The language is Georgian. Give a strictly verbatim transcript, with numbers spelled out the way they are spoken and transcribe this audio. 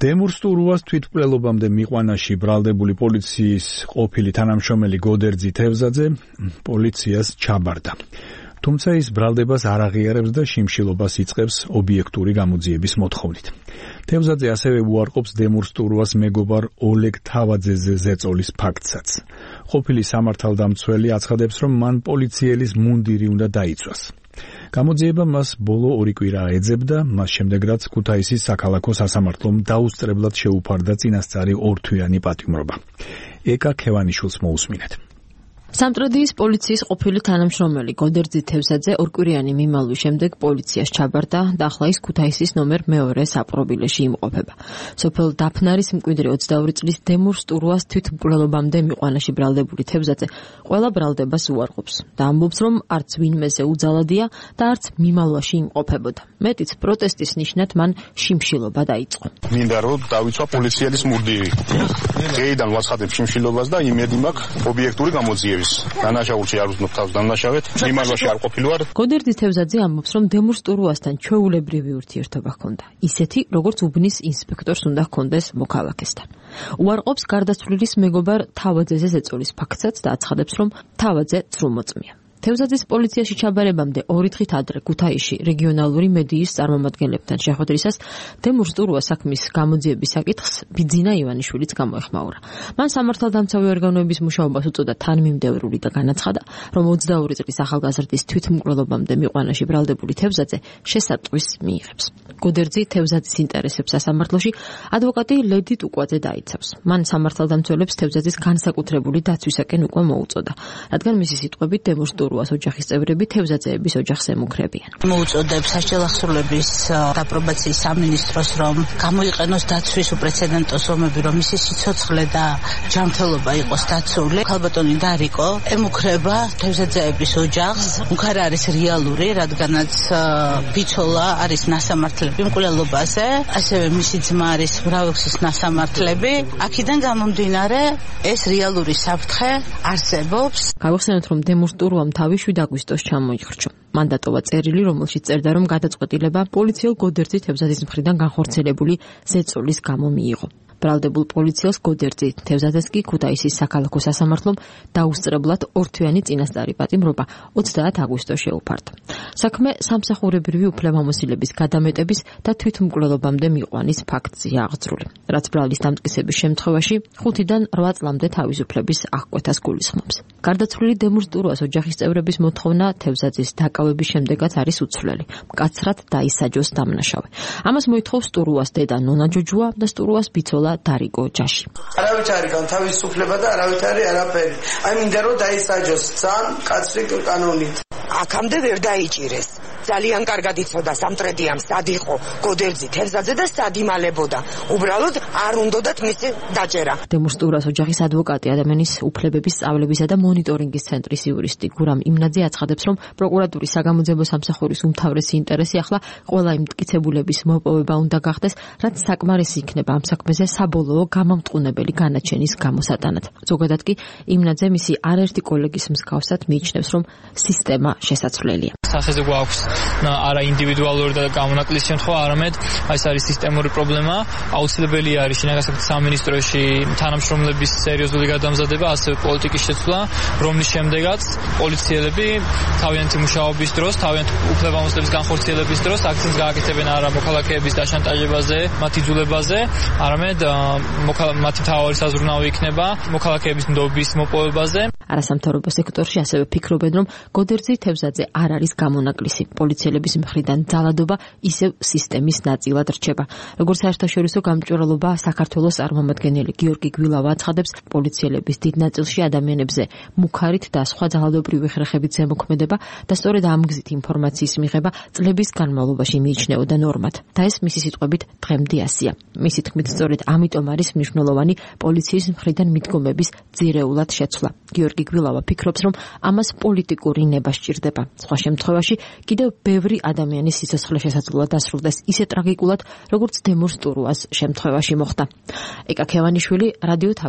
დემურ სტურუას თვითმკვლელობამდე მიყვანაში ბრალდებული პოლიციის ყოფილი თანამშრომელი გოდერძი თევზაძე პოლიციას ჩაბარდა. თუმცა ის ბრალდებას არ აღიარებს და შიმშილობას იწყებს ობიექტური გამოძიების მოთხოვნით. თევზაძე ასევე უარყოფს დემურ სტურუას მეგობარ ოლეგ თავაძეზე ზეწოლის ფაქტსაც. ყოფილი სამართალდამცველი აცხადებს, რომ მან პოლიციელის მუნდირი უნდა დაიცვას. გამოძიება მას ბოლო ორი კვირა ეძებდა, მას შემდეგ რაც ქუთაისის საქალაქო სასამართლომ დაუსწრებლად შეუფარდა წინასწარი ორთვიანი პატიმრობა. ეკა ქევანიშვილს მოусმინეთ. სამტრედიის პოლიციის ყოფილი თანამშრომელი გოდერძი თევზაძე ორკვირიანი მიმალვის შემდეგ პოლიციას ჩაბარდა და ახლა ის ქუთაისის ნომერ მეორე საპყრობილეში იმყოფება. სოფელ დაფნარის მკვიდრი ოცდაორი წლის დემურ სტურუას თვითმკვლელობამდე მიყვანაში ბრალდებული თევზაძე ყველა ბრალდებას უარყოფს და ამბობს, რომ არც ვინმეზე უძალადია და არც მიმალვაში იმყოფებოდა. მეტიც პროტესტის ნიშნად მან შიმშილობა დაიწყო. მინდა რომ დავიცვა პოლიციელის მურდირი. დღეიდან ვაცხადებ შიმშილობას და იმედი მაქვს ობიექტური გამოძიება. დანაშაულში არ ვზნობ თავს დანაშავეთ, მიმალვაში არ ყოფილვარ. გოდერძი თევზაძე ამბობს, რომ დემურ სტურუასთან ჩვეულებრივი ურთიერთობა ჰქონდა. ისეთი, როგორც უბნის ინსპექტორს უნდა ჰქონდეს მოქალაქესთან. უარყოფს გარდაცვლილის მეგობარ თავაძეზე ზეწოლის ფაქტსაც და აცხადებს, რომ თავაძე ცრუმოწმია. თევზაძის პოლიციაში ჩაბარებამდე ორი დღით ადრე ქუთაისში რეგიონალური მედიის წარმომადგენლებთან შეხვედრისას დემურ სტურუას საქმის გამოძიების საკითხს ბიძინა ივანიშვილიც გამოეხმაურა. მან სამართალდამცავი ორგანოების მუშაობას უწოდა თანმიმდევრული და განაცხადა, რომ ოცდაორი წლის ახალგაზრდის თვითმკვლელობამდე მიყვანაში ბრალდებული თევზაძე შესატყვის მიიღებს. გოდერძი თევზაძის ინტერესებს სასამართლოში ადვოკატი ლედი ტუკვაძე დაიცავს. მან სამართალდამცველებს თევზაძის განსაკუთრებული დაცვისაკენ უკვე მოუწოდა, რადგან მისი სიტყვებით დემურ სტურუას ოჯახის წევრები თევზაძეების ოჯახს ემუქრებიან. მოუწოდებს საშელახსრულების დაპრობაციის სამინისტროს, რომ გამოიყენოს დაცვის უპრეცედენტო სომები, რომ მისი სიცოცხლე და ჯანმრთელობა იყოს დაცული. ქალბატონი დარიკო ემუქრება თევზაძეების ოჯახს. უქარა არის რეალური, რადგანაც ბიცოლა არის ნასამართლები მკვლელობაზე, ასევე მისი ძმა არის მრავალგზის ნასამართლები. აქედან გამომდინარე ეს რეალური საფრთხე არსებობს. გავიხსენოთ, რომ დემურ სტურუამ თავი შვიდ აგვისტოს ჩამოიხრჩო. მან დატოვა წერილი, რომელშიც წერდა, რომ გადაწყვეტილება პოლიციელ გოდერძი თევზაძის მხრიდან განხორციელებული ზეწოლის გამო მიიღო. ბრალდებულ პოლიციელს გოდერძი თევზაძეს კი ქუთაისის საქალაქო სასამართლომ დაუსწრებლად ორთვიანი წინასწარი პატიმრობა ოცდაათ აგვისტოს შეუფარდა. საქმე სამსახურებრივი უფლებამოსილების გადამეტების და თვითმკვლელობამდე მიყვანის ფაქტზეა აღძრული, რაც ბრალის დამტკიცების შემთხვევაში ხუთიდან რვა წლამდე თავისუფლების აღკვეთას გულისხმობს. გარდაცვლილი დემურ სტურუას ოჯახის წევრების მოთხოვნა თევზაძის დაკავების შემდეგაც არის უცვლელი. მკაცრად დაისაჯოს დამნაშავე. ამას მოითხოვს სტურუას დედა ნონა ჯოჯუა და სტურუას ბიცოლა დარიკო ჯაში. არავით არის განთავისუფლება და არავით არის არაფერი. აი მინდა რომ დაისაჯოს ძალიან კაცრი კანონით. აქამდე ვერ დაიჭირეს. ძალიან კარგად იცოდა სამტრედიამ სად იყო გოდერძი თევზაძე და სად იმალებოდა. უბრალოდ არ უნდათ მისი დაჭერა. დემურ სტურუას ოჯახის ადვოკატი ადამიანის უფლებების სწავლებისა და მონიტორინგის ცენტრის იურისტი გურამ იმნაძე აცხადებს, რომ პროკურატურის საგამოძიებო სამსახურის უმთავრესი ინტერესი ახლა ყველა იმ მტკიცებულების მოპოვება უნდა გახდეს, რაც საკმარისი იქნება ამ საქმეზე საბოლოო გამამტყუნებელი განაჩენის გამოსატანად. ზოგადად კი იმნაძე მისი არაერთი კოლეგის მსგავსად მიიჩნევს, რომ სისტემა შესაძლებელია. სახეზე გვაქვს არა ინდივიდუალური და გამონაკლისის შემთხვევა, არამედ ეს არის სისტემური პრობლემა. აუცილებელი არის შინაგან საქმეთა სამინისტროში თანამშრომლების სერიოზული გადამზადება, ასევე პოლიტიკის შეცვლა, რომლის შემდეგაც პოლიციელები თავიანთი მუშაობის დროს, თავიანთი უფლებამოსილების განხორციელების დროს აქცენტს გააკეთებენ არა მოქალაქეების დაშანტაჟებაზე, მათი იძულებაზე, არამედ მათი მთავარი საზრუნავი იქნება მოქალაქეების ნდობის მოპოვებაზე. არასამთავრობო სექტორში ასევე ფიქრობენ, რომ გოდერძი თევზაძე არ არის გამონაკლისი. პოლიციელების მხრიდან ძალადობა ისევ სისტემის ნაწილად რჩება. როგორც საერთაშორისო გამჭვირვალობა საქართველოს წარმომადგენელი გიორგი გვილავა აცხადებს, პოლიციელების დიდ ნაწილში ადამიანებზე მუქარით და სხვა ძალადობრივი ხერხებით ზემოქმედება და სწორედ ამ გზით ინფორმაციის მიღება წლების განმავლობაში მიიჩნეოდა ნორმად. და ეს მისი სიტყვებით დღემდე ასია. მისი თქმით, სწორედ ამიტომ არის მნიშვნელოვანი პოლიციის მხრიდან მიდგომების ძირეულად შეცვლა. გიორგი გვილავა ფიქრობს, რომ ამას პოლიტიკური ნება სჭირდება. სხვა შემთხვევაში კიდევ ბევრი ადამიანის სიცოცხლე შესაძლოა დასრულდეს ისე ტრაგიკულად, როგორც დემურ სტურუას შემთხვევაში მოხდა. ეკა ქევანიშვილი, რადიო თავისუფლება.